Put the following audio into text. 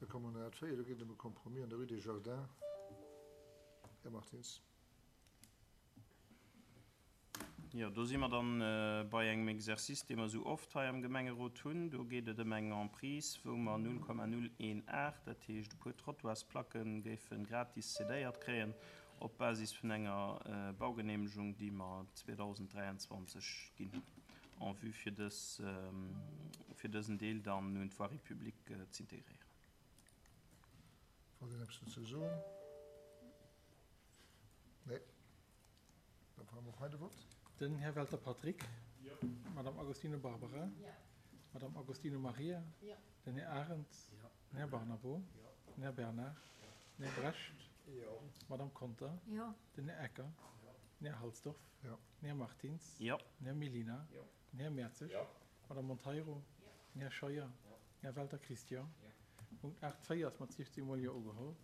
Da komme mer un 8,4, do geet et ëm e Compromis an der Rue des Jardins. Här Martins. Jo, do si mer dann bei engem Exercice, dee mer esou oft hei am Gemengerot hunn. Do geet et ëm eng Emprise, wou mer 0,018, dat heescht e puer Trottoirsplacken, géife gratis cedéiert kréien op Basis vun enger Baugeneemegung, déi mer 2023 ginn hunn, en vue fir dës, fir dësen Deel dann un d'Voirie publique z'integréieren. Wollt een eppes dozou soen? Nee. Da brauche mer och hei de Vott. Den Här Welter Patrick. Jo. D'Madame Agostino Barbara. Jo. D'Madame Agostino Maria. Jo. Den Här Arendt. Jo. Den Här Barnabo. Jo. Den Här Bernard. Jo. Den Här Brecht. Jo. D'Madame Conter. Jo. Den Här Ecker. Jo. Den Här Halsdorf. Jo. Den Här Martins. Jo. Den Här Mellina. Jo. Den Här Mertzig. Jo. D'Madame Monteiro. Jo. Den Här Scheuer. Jo. Den Här Welter Christian. Jo. Punkt 8, 4 ass mat 16 mol Jo ugeholl.